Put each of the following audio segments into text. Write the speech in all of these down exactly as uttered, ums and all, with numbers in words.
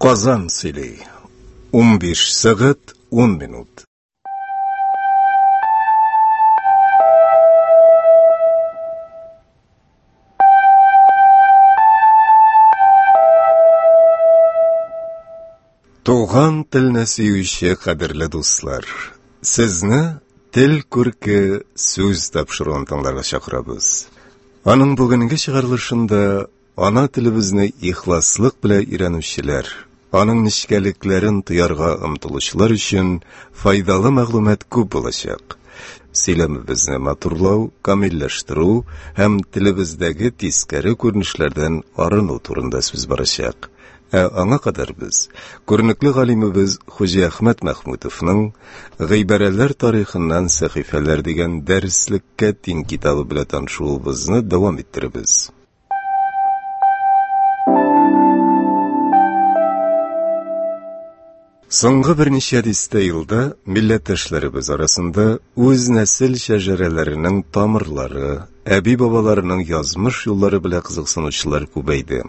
Казан сөйли. Унбиш сәгать ун минут. Туган телне сөюче кадерле дуслар, сезне Тел күрке сүз тапшыруын тыңларга чакырабыз. Аның бүгенге чыгарылышында ана телебезне ихласлык белән өйрәнүчеләр, аның нечкәлекләрен тоярга омтылучылар өчен файдалы мәгълүмат күп булачак. Сөйләмебезне матурлау, камилләштерү һәм телебездәге тискәре күренешләрдән арыну турында сүз барачак. Ә аңа кадәр без күренекле галимебез Хуҗиәхмәт Мәхмүтовның Гыйбарәләр тарихыннан сәхифәләр дигән дәреслеккә тиң китабы белән танышуыбызны дәвам иттеребез. Соңгы берничә дистә елда милләттәшләребез арасында үз нәсел шәҗәрәләренең тамырлары, әби-бабаларының язмыш юллары белән кызыксынучылар күбәйде.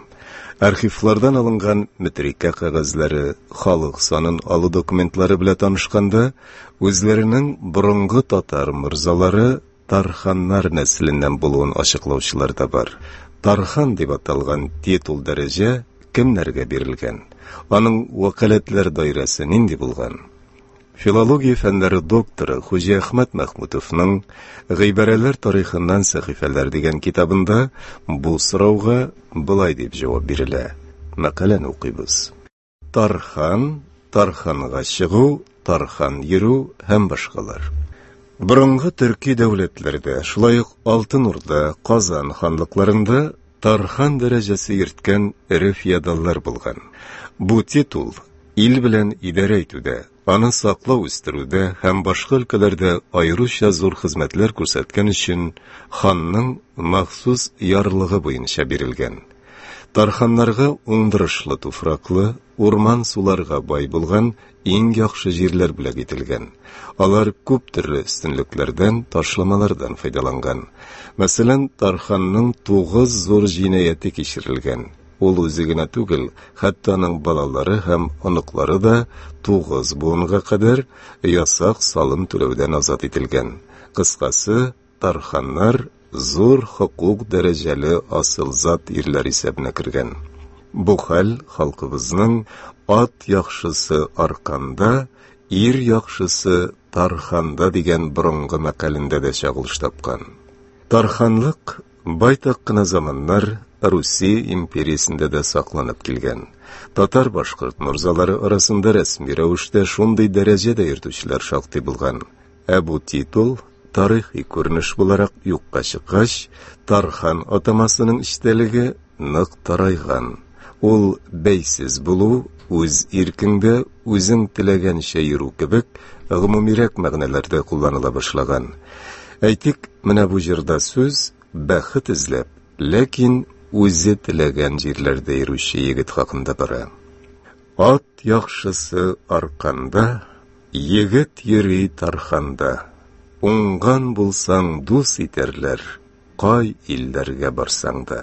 Архивлардан алынган метрикә кәгазьләре, халык санын алу документлары белән танышканда, үзләренең борынгы татар морзалары Тарханнар нәселеннән булуын ачыклаучылар да бар. Тархан дип аталган титул дәрәҗә кемнәргә бирелгән? Аның вәкаләтләр даирәсе нинди булган? Филология фәннәре докторы Хуҗиәхмәт Мәхмүтовның Гыйбарәләр тарихыннан сәхифәләр дигән китабында бу сорауга болай дип җавап бирелә. Мәкаләне укыйбыз. Тархан, тарханга чыгу, тархан йөрү һәм башкалар. Борынгы төрки дәүләтләрдә, шулай ук Алтын Урда, Казан ханлыкларында тархан дәрәҗәсе йөрткән эре феодаллар булган. Бу титул ил белән идарә итүдә, аны саклау үстерүдә һәм башка өлкәләрдә аеруча зур хезмәтләр күрсәткән өчен ханның махсус ярлыгы буенча бирелгән. Тарханнарга уңдырышлы туфраклы, урман суларга бай булган иң яхшы җирләр бүләк ителгән. Алар күп төрле өстенлекләрдән, ташламалардан файдаланган. Мәсәлән, Тарханның тугыз зур җинаяте кичерелгән. Ул үзе генә түгел, хәтта аның балалары һәм оныклары да тугыз буынга кадәр ясак салым түләүдән азат ителгән. Кыскасы, тарханнар зур хокук дәрәҗәле асыл зат ирләр исәбенә кергән. Бу хәл халкыбызның ат яхшысы арканда, ир яхшысы тарханда дигән борынгы мәкалендә дә чагылыш тапкан. Тарханлык байтак кына заманнар Русия империясендә дә сакланып килгән. Татар-башкорт морзалары арасында рәсми рәвештә шундый дәрәҗәдә йөртүчеләр шактый булган. Ә бу титул тарихи күренеш буларак юкка чыккач, Тархан атамасының эчтәлеге нык тарайган. Ул бәйсез булу, үз иркеңдә үзең теләгәнчә йөрү кебек гомумирәк мәгънәләрдә кулланыла башлаган. Әйтик, менә бу җырда сүз бәхет эзләп, ләкин үзе теләгән җирләрдә йөрүче егет хакында бара. Ат яхшысы арканда, егет йөри тарханда. Уңган булсаң дус итәрләр, кай илләргә барсаң да.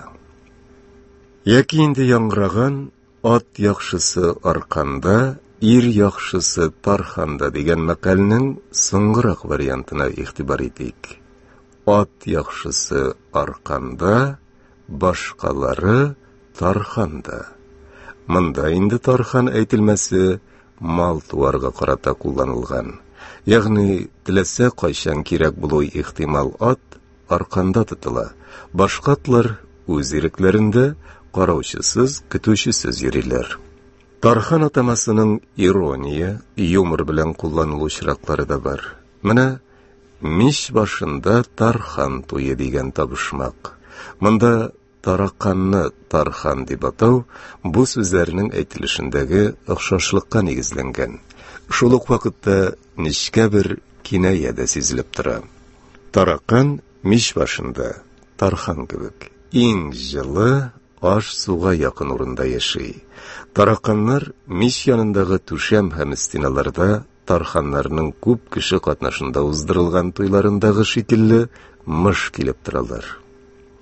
Яки инде яңгыраган ат яхшысы арканда, ир яхшысы тарханда дигән мәкальнең соңгырак вариантына игътибар итик. Ат яхшысы арканда, башкалары тарханда. Монда инде тархан әйтелмәсе мал-туарга карата кулланылган. Ягъни теләсә кайчан кирәк булу ихтимал ат арканда тотыла. Башка атлар үз ирекләрендә караучысыз, көтүчесез йөриләр. Тархан атамасының ирония, юмор белән кулланылу очраклары да бар. Менә мич башында тархан туе дигән табышмак. Монда тараканны тархан дип атау бу сүзләрнең әйтелешендәге охшашлыкка нигезләнгән. Шул ук вакытта нечкә бер киная дә сизелеп тора. Таракан мич башында тархан кебек иң җылы аш суга якын урында яши. Тараканнар мич янындагы түшәм һәм стеналарда тарханнарның күп кеше катнашында уздырылган туйларындагы шикелле мыш килеп торалар.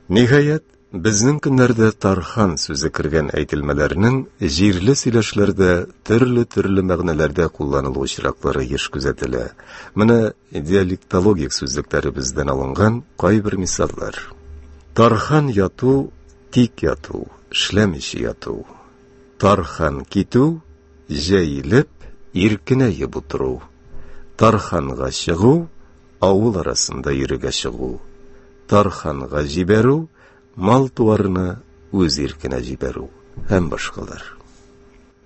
Ниһаять, Безнең көннәрдә тархан сүзе кергән әйтелмәләрнең җирле сөйләшләрдә төрле-төрле мәгънәләрдә кулланылу очраклары еш күзәтелә. Менә диалектологик сүзлекләребездән алынган кайбер мисаллар. Тархан яту, тик яту, эшләмичә яту. Тархан китү, җәелеп, иркенәеп утыру. Тарханга чыгу, авыл арасында йөрергә чыгу. Тарханга җибәрү, мал-туарны үз иркенә җибәрү һәм башкалар.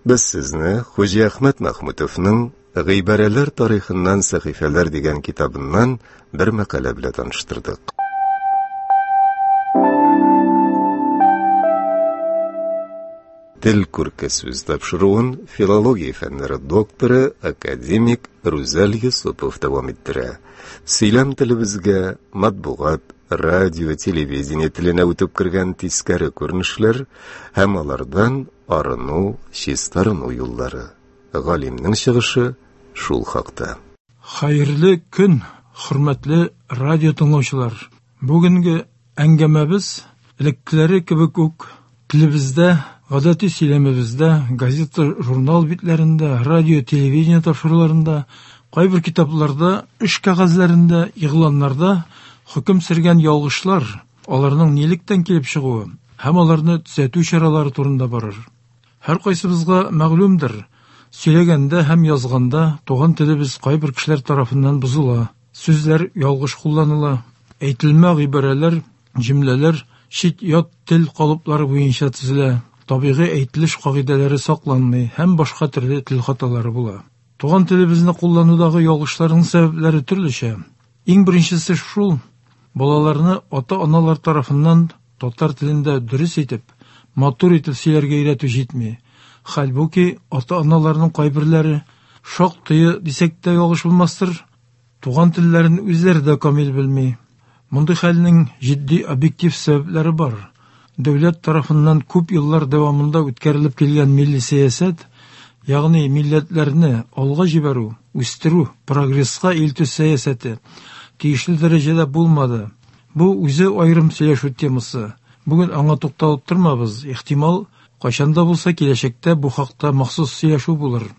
Без сезне Хуҗиәхмәт Мәхмүтовның «Гыйбарәләр тарихыннан сәхифәләр» дигән китабыннан бер мәкалә белән таныштырдык. Тел күрке сүз тапшыруын филология фәннәре докторы, академик Рүзәл Йосыпов дәвам иттерә. Сөйләм телебезгә матбугат, радио, телевидение теленә үтеп кергән тискәре күренешләр һәм алардан арыну, чистарыну юллары. Галимнең чыгышы шул хакта. Хәерле көн, хөрмәтле радио тыңлаучылар. Бүгенге әңгәмәбез элеккеләре кебек үк телебездә, гадәти сөйләмебездә, газета, журнал битләрендә, радио, телевидение тапшыруларында, кайбер китапларда, эш кәгазьләрендә, игъланнарда хөкем сөргән ялгышлар, аларның нилектән килеп чыгуы һәм аларны төзәтү чаралары турында барыр. Һәр кайсыбызга мәгълүмдер, сөйләгәндә һәм язганда туган телебез кайбер кешеләр тарафыннан бозыла, сүзләр ялгыш кулланыла, әйтелмә гыйбарәләр, җөмләләр чит-ят тел калыплары буенча төзелә, табигый әйтелеш кагыйдәләре сакланмый һәм башка төрле тел хаталары була. Туган телебезне кулланудагы ялгышларның сәбәпләре төрлечә. Иң беренчесе шул, балаларны ата-аналар тарафыннан татар телендә дөрес итеп, матур итеп сөйләргә өйрәтү җитми. Хәлбуки ата-аналарның кайберләре шактые дисәк тә ялгыш булмастыр, туган телләрен үзләре дә камил белми. Мондый хәлнең җитди объектив сәбәпләре бар. Дәүләт тарафыннан күп еллар дәвамында үткәрелеп килгән милли сәясәт, ягъни милләтләрне алга җибәрү, үстерү, прогресска илтү сәясәте тиешле дәрәҗәдә булмады. Бу үзе аерым сөйләшү темасы. Бүген аңа тукталып тормабыз. Ихтимал, кайчан да булса киләчәктә бу хакта махсус сөйләшү булыр.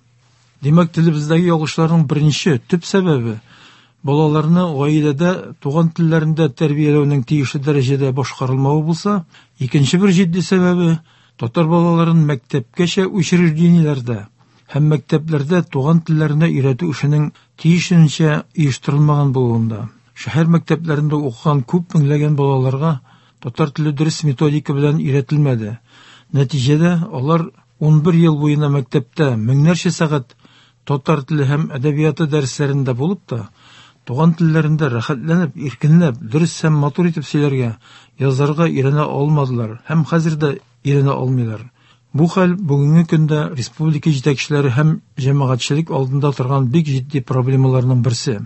Димәк, телебездәге ялгышларның беренче төп сәбәбе балаларны гаиләдә туган телләрендә тәрбияләүнең тиешле дәрәҗәдә башкарылмавы булса, икенче бер җитди сәбәбе татар балаларын мәктәпкәчә учреждениеләрдә һәм мәктәпләрдә туган телләренә өйрәтү эшенең тиешенчә оештырылмаган булуында. Шәһәр мәктәпләрендә укыган күп меңләгән балаларга татар теле дөрес методика белән өйрәтелмәде. Нәтиҗәдә алар унбер ел буена мәктәптә меңнәрчә сәгать татар теле һәм әдәбияты дәресләрендә булып та, туган телләрендә рәхәтләнеп, иркенләп, дөрес һәм матур итеп сөйләргә, язарга өйрәнә алмадылар һәм хәзер дә өйрәнә алмыйлар. Бу хәл бүгенге көндә республика җитәкчеләре һәм җәмәгатьчелек алдында торган бик җитди проблемаларның берсе.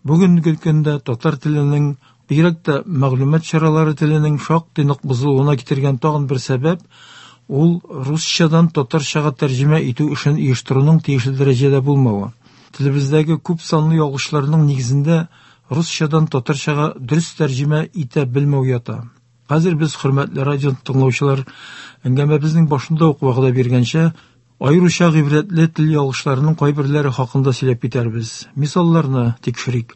Бүгенге көндә татар теленең, бигрәк тә мәгълүмат чаралары теленең шактый нык бозылуына китергән тагын бер сәбәп ул русчадан татарчага тәрҗемә итү эшен оештыруның тиешле дәрәҗәдә булмавы. Телебездәге күп санлы ялгышларның нигезендә русчадан татарчага дөрес тәрҗемә итә белмәү ята. Хәзер без, хөрмәтле радио тыңлаучылар, әңгәмәбезнең башында ук вәгъдә биргәнчә, аеруча гыйбрәтле тел ялгышларының кайберләре хакында сөйләп китәрбез. Мисалларны тикшерик.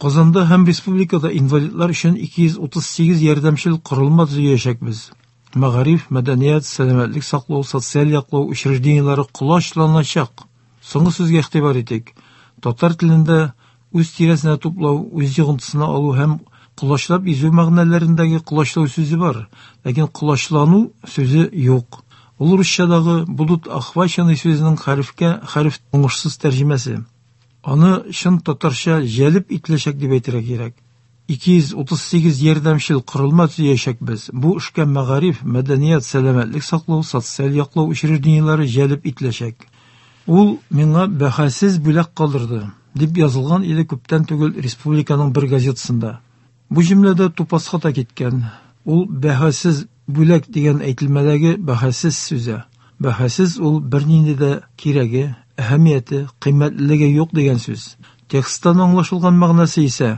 Казанда һәм республикада инвалидлар өчен ике йөз утыз сигез ярдәмчел корылма төзиячәкбез. Мәгариф, мәдәният, сәламәтлек саклау, социаль яклау учреждениеләре колачланачак. Соңгы сүзгә игътибар итик. Татар телендә үз тирәсенә туплау, үз йогынтысына алу һәм колачлап изү мәгънәләрендәге колачлау сүзе бар, ләкин колачлану сүзе юк. Ул русчадагы будут охвачены сүзенең хәрефкә хәреф уңышсыз тәрҗемәсе. Аны чын татарча җәлеп ителәчәк дип әйтергә кирәк. ике йөз утыз сигез ярдәмчел корылма төзиячәкбез. Бу эшкә мәгариф, мәдәният, сәламәтлек саклау, социаль яклау учреждениеләре җәлеп ителәчәк. Ул миңа бәһасез бүләк калдырды, дип язылган иде күптән түгел республиканың бер газетасында. Бу җөмләдә тупас хата киткән. Ул бәһасез бүләк дигән әйтелмәдәге бәһасез сүзе. Бәһасез ул бернинди дә кирәге, әһәмияте, кыйммәтлелеге юк дигән сүз. Тексттан аңлашылган мәгънәсе исә,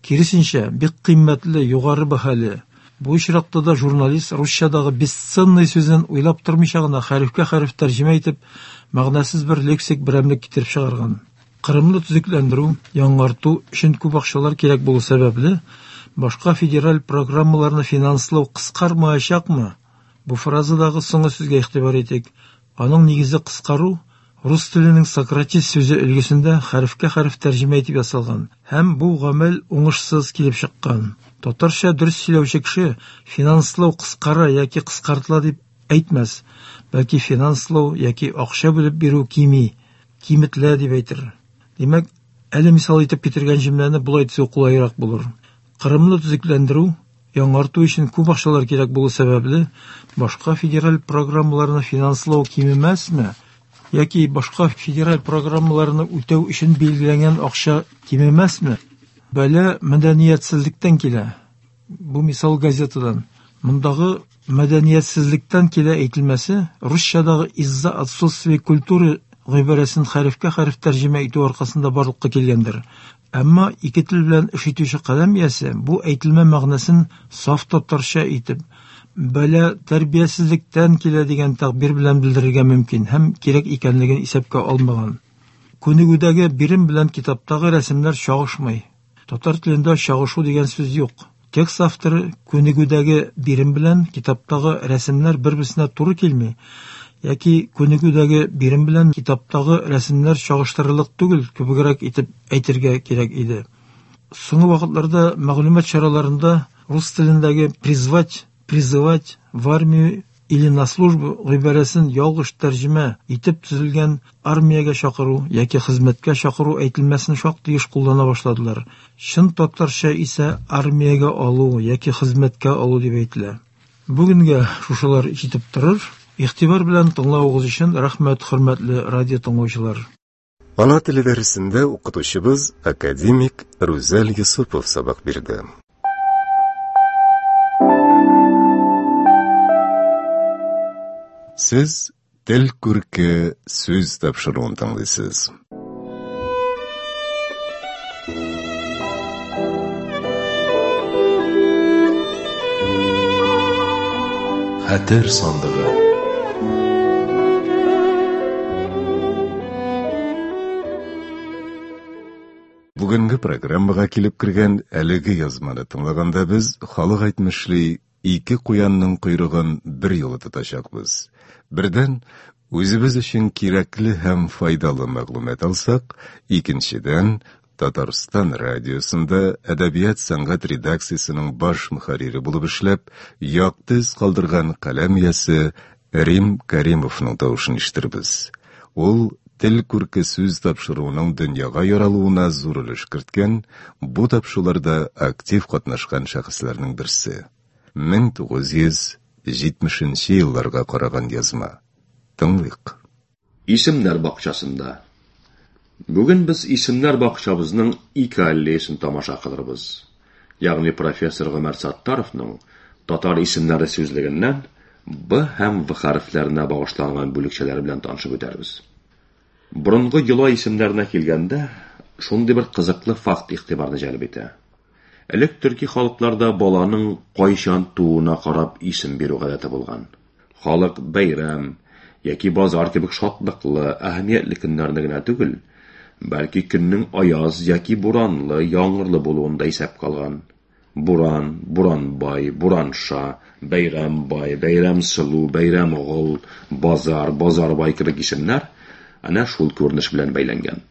киресенчә, бик кыйммәтле, югары бәһале. Бу очракта да журналист русчадагы бесценный сүзен уйлап тормыйча гына хәрефкә хәреф тәрҗемә итеп, мәгънәсез бер лексик берәмлек китереп чыгарган. Кырымны төзекләндерү, яңарту өчен күп акчалар кирәк булу сәбәпле, башка федераль программаларны финанслау кыскармаячакмы? Бу фразадагы соңгы сүзгә игътибар итик. Аның нигезе кыскару рус теленең сократив сүзе өлгесендә хәрефкә хәреф тәрҗемә итеп ясалган һәм бу гамәл уңышсыз килеп чыккан. Татарча дөрес сөйләүче кеше финанслау кыскара яки кыскартыла дип әйтмәс, бәлки финанслау яки акча бүлеп бирү кими, киметелә дип әйтер. Димәк, әле мисал итеп китергән җөмләне болай төзү кулайрак булыр. Кырымны төзекләндерү, яңарту өчен күп акчалар кирәк булу сәбәпле, башка федераль программаларны финанслау кимемәсме? Яки башка федераль программаларны үтәү өчен билгеләнгән акча кимемәсме? Бәла мәдәниятсезлектән килә. Бу мисал газетадан. Мондагы мәдәниятсезлектән килә әйтелмәсе русчадагы из-за отсутствия культуры гыйбарәсен хәрефкә хәреф тәрҗемә итү аркасында барлыкка килгәндер. Әмма ике тел белән эш итүче каләм иясе бу әйтелмә мәгънәсен саф татарча итеп, бәла тәрбиясезлектән килә дигән тәгъбир белән белдерергә мөмкин һәм кирәк икәнлеген исәпкә алмаган. Күнегүдәге бирем белән китаптагы рәсемнәр чагышмый. Татар телендә чагышу дигән сүз юк. Текст авторы күнегүдәге бирем белән китаптагы рәсемнәр бер-берсенә туры килми, яки күнегүдәге бирем белән китаптагы рәсемнәр чагыштырырлык түгел кебегрәк итеп әйтергә кирәк иде. Соңгы вакытларда мәгълүмат чараларында рус телендәге призвать, призывать в армию или на службу гыйбарәсен ялгыш тәрҗемә итеп төзелгән армиягә чакыру яки хезмәткә чакыру әйтелмәсен шактый еш куллана башладылар. Чын татарча исә армиягә алу яки хезмәткә алу дип әйтелә. Бүгенгә шушылар җитеп торыр. Игътибар белән тыңлавыгыз өчен рәхмәт, хөрмәтле радио тыңлаучылар. Ана теле дәресендә укытучыбыз академик Рүзәл Юсупов сабак бирде. Сез Тел күрке сүз тапшыруын тыңлыйсыз. Хәтер сандыгы. Бүгенге программага килеп кергән әлеге язманы тыңлаганда без халык әйтмешли ике куянның койрыгын бер юлы тотачакбыз. Бердән, үзебез өчен кирәкле һәм файдалы мәгълүмат алсак, икенчедән, Татарстан радиосында әдәбият сәнгать редакциясенең баш мөхәррире булып эшләп, якты эз калдырган каләм иясе Рим Каримовның тавышын ишетербез. Ул Тел күрке сүз тапшыруының дөньяга яралуына зур өлеш керткән, бу тапшыруларда актив катнашкан шәхесләрнең берсе. мең тугыз йөз җитмешенче елларга караган язма. Тыңлыйк. Исемнәр бакчасында. Бүген без исемнәр бакчабызның ике аллеясын тамаша кылырбыз. Ягъни профессор Гомәр Саттаровның татар исемнәре сүзлегеннән Б һәм В хәрефләренә багышланган бүлекчәләре белән танышып үтәрбез. Борынгы йола исемнәренә килгәндә, шундый бер кызыклы факт игътибарны җәлеп итә. Элек төрки халыкларда баланың кайчан тууына карап исем бирү гадәте булган. Халык бәйрәм яки базар кебек шатлыклы, әһәмиятле көннәрне генә түгел, бәлки көннең аяз яки буранлы, яңгырлы булуын да исәпкә алган. Буран, Буранбай, Буранша, Бәйрәмбай, Бәйрәмсылу, Бәйрәмгол, Базар, Базарбай кебек исемнәр әнә шул күренеш белән бәйләнгән.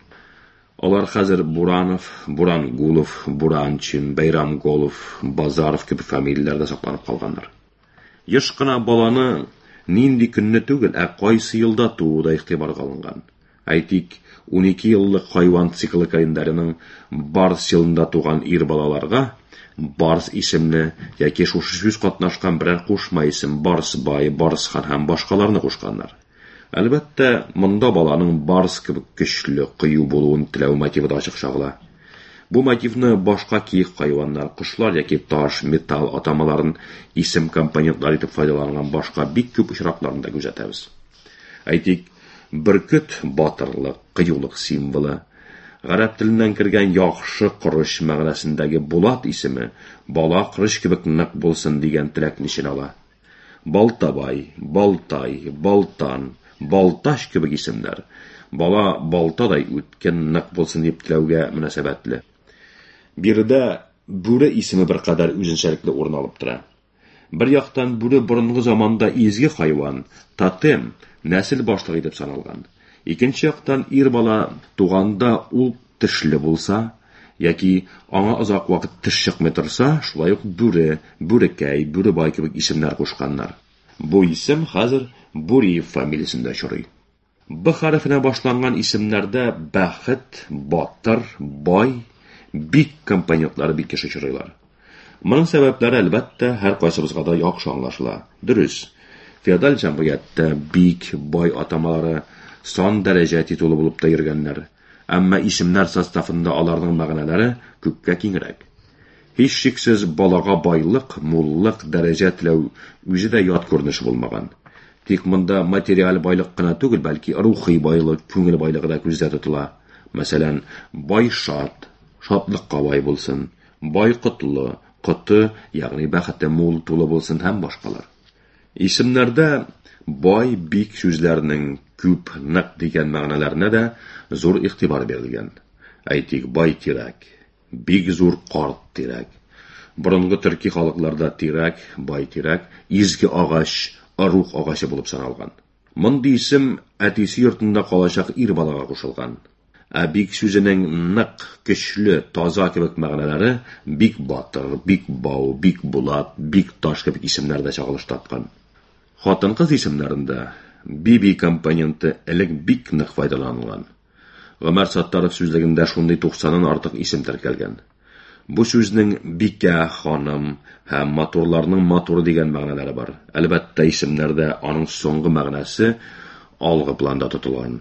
Алар хәзер Буранов, Бурангулов, Буранчин, Бәйрәмголов, Базаров кебек фамилияләрдә сакланып калганнар. Еш кына баланы нинди көнне түгел, ә кайсы елда тууы да игътибарга алынган. Әйтик, унике еллык хайван циклы календарының Барс елында туган ир балаларга Барс исемле яки шушы сүз катнашкан берәр кушма исем Барсбай, Барсхан һәм башкаларны кушканнар. Әлбәттә, монда баланың барс кебек көчле, кыю булуын теләү мотивы да ачык чагыла. Бу мотивны башка киек хайваннар, кошлар яки таш, металл атамаларын исем компонентлары итеп файдаланган башка бик күп очракларында күзәтәбез. Әйтик, бөркет батырлык, кыюлык символы, Гарәп теленнән кергән яхшы корыч мәгънәсендәге Булат исеме бала корыч кебек нык булсын дигән теләкне эченә ала. Балтабай, Балтай, Балтан, Балташ кебек исемнәр бала балтадай үткен, нык булсын дип теләүгә мөнәсәбәтле. Биредә бүре исеме беркадәр үзенчәлекле урын алып тора. Бер яктан бүре борынгы заманда изге хайван, тотем, нәсел башлыгы итеп саналган. Икенче яктан ир бала туганда ул тешле булса, яки аңа озак вакыт теш чыкмый торса, шулай ук бүре, бүрекәй, бүребай кебек исемнәр кушканнар. Бу исем хәзер Буриев фамилиясендә очрый. Б хәрефенә башланган исемнәрдә бәхет, батыр, бай, бик компонентлары бик еш очрыйлар. Моның сәбәпләре әлбәттә һәр кайсыбызга да яхшы аңлашыла. Дөрес, феодаль җәмгыятьтә бик, бай атамалары сан дәрәҗә титулы булып та йөргәннәр. Әмма исемнәр составында аларның мәгънәләре күпкә киңрәк. Һичшиксез балага байлык, муллык, дәрәҗә теләү үзе дә ят күренеш булмаган. Тик монда материаль байлык кына түгел, бәлки рухи байлык, күңел байлыгы да күздә тотыла. Мәсәлән, бай шат, шатлыкка бай булсын, бай котлы, коты, ягъни бәхете мул, тулы булсын һәм башкалар. Исемнәрдә бай, бик сүзләренең күп, нык дигән мәгънәләренә дә зур игътибар бирелгән. Әйтик, бай тирәк, бик зур карт тирәк. Борынгы төрки халыкларда тирәк, бай тирәк, изге агач, рух агачы булып саналган. Мондый исем әтисе йортында калачак ир балага кушылган. Ә бик сүзенең нык, көчле, таза кебек мәгънәләре бик батыр, бик бау, бик булат, бик таш кебек исемнәрдә чагылыш тапкан. Хатын-кыз исемнәрендә биби компоненты элек бик нык файдаланылган. Гомәр Саттаров сүзлегендә шундый туксаннан артык исем теркәлгән. Бу сүзнең бикә, ханым һәм матурларның матуры дигән мәгънәләре бар. Әлбәттә, исемнәрдә аның соңгы мәгънәсе алгы планда тотылган.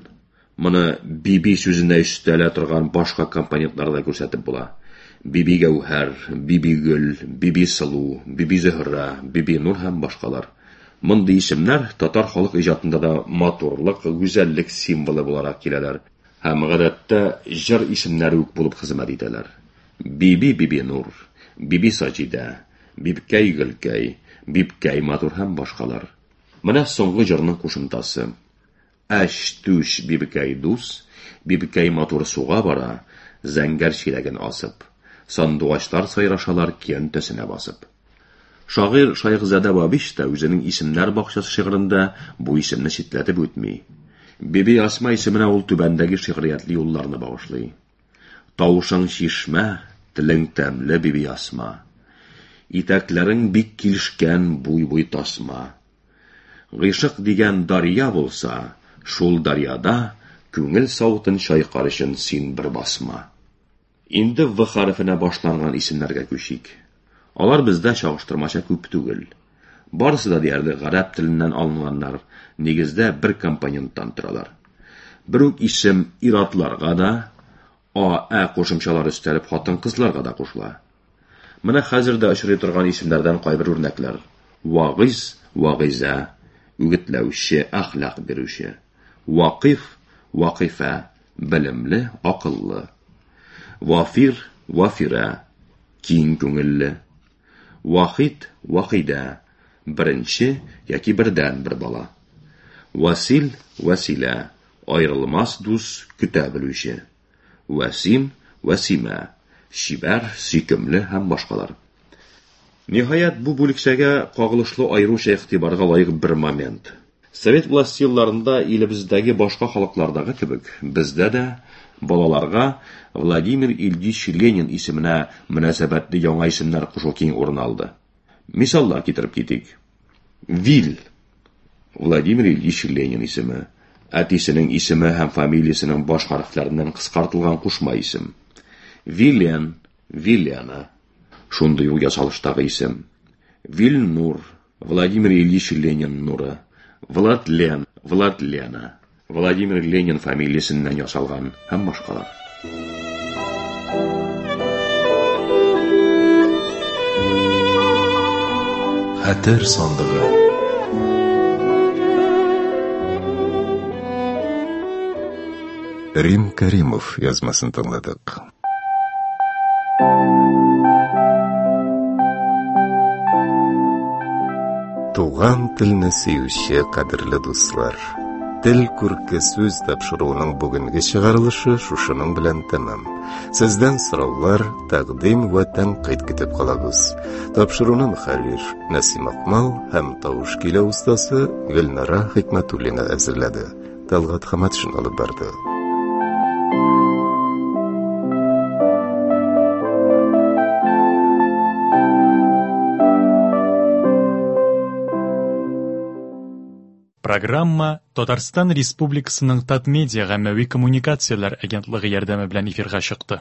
Моны биби сүзенә өстәлә торган башка компонентларда күрсәтеп була. Биби Гәүһәр, Биби Гөл, Биби Сылу, Биби Зөһрә, Биби Нур һәм башкалар. Мондый исемнәр татар халык иҗатында да матурлык, гүзәллек символы буларак киләләр һәм гадәттә җыр исемнәре үк булып хезмәт итәләр. Биби Биби Нур, Биби Саҗидә, Бибкәй Гөлкәй, Бибкәй Матур һәм башкалар. Менә соңгы җырның кушымтасы. Әш түш бибкәй дус, бибкәй матур суга бара, зәңгәр чиләген асып. Сандугачлар сайрашалар киянтәсенә басып. Шагыйрь Шайхзадә Бабич та үзенең исемнәр бакчасы шигырендә бу исемне читләтеп үтми. Биби Асма исеменә ул түбәндәге шигъриятле юлларны багышлый. Тавышың чишмә, телең тәмле, Биби Асма. Итәкләрең бик килешкән буй-буй тасма. Гыйшык дигән дарья булса, шул дарьяда күңел савытын чайкар өчен син бер басма. Инде В хәрефенә башланган исемнәргә күчик. Алар бездә чагыштырмача күп түгел. Барысы да диярлек гарәп теленнән алынганнар, нигездә бер компоненттан торалар. Бер үк исем ир-атларга да, а, ә кушымчалары өстәлеп хатын-кызларга да кушыла. Менә хәзер дә очрый торган исемнәрдән кайбер үрнәкләр. Вагиз, Вагизә, үгетләүче, әхлак бирүче. Вакыф, Вакыфә, белемле, акыллы. Вафир, Вафирә, киң күңелле. Вахид, Вахидә, беренче яки бердән бер бала. Васил, Василә, аерылмас дус, көтә белүче. Васим, Васимә, чибәр, сөйкемле һәм башкалар. Ниһаять, бу бүлекчәгә кагылышлы аеруча игътибарга лаек бер момент. Совет власте елларында илебездәге башка халыклардагы кебек, бездә дә балаларга Владимир Ильич Ленин исеменә мөнәсәбәтле яңа исемнәр кушу киң урын алды. Мисаллар китереп китик. Вил, Владимир Ильич Ленин исеме, әтисенең исеме һәм фамилиясенең баш хәрефләреннән кыскартылган кушма исем. Вилен, Вилена, шундый ук ясалыштагы исем. Вильнур, Владимир Ильич Ленин нуры. Владлен, Владлена, Владимир Ленин фамилиясеннән ясалган һәм башкалар. Хәтер сандыгы. Рим Кәримов язмасын тыңладык. Туган телне сөюче кадерле дуслар, Тел күрке сүз тапшыруының бүгенге чыгарылышы шушының белән тәмам. Сездән сораулар, тәкъдим вә тәнкыйть көтеп калабыз. Тапшыруны мөхәррир Нәсим Акмал һәм тавыш көйләү остасы Гөлнара Хикмәтуллина әзерләде. Талгат Хаматшин алып барды. Программа Татарстан Республикасының Татмедиа гаммәви коммуникацияләр агентлыгы ярдәме белән эфирга чыкты.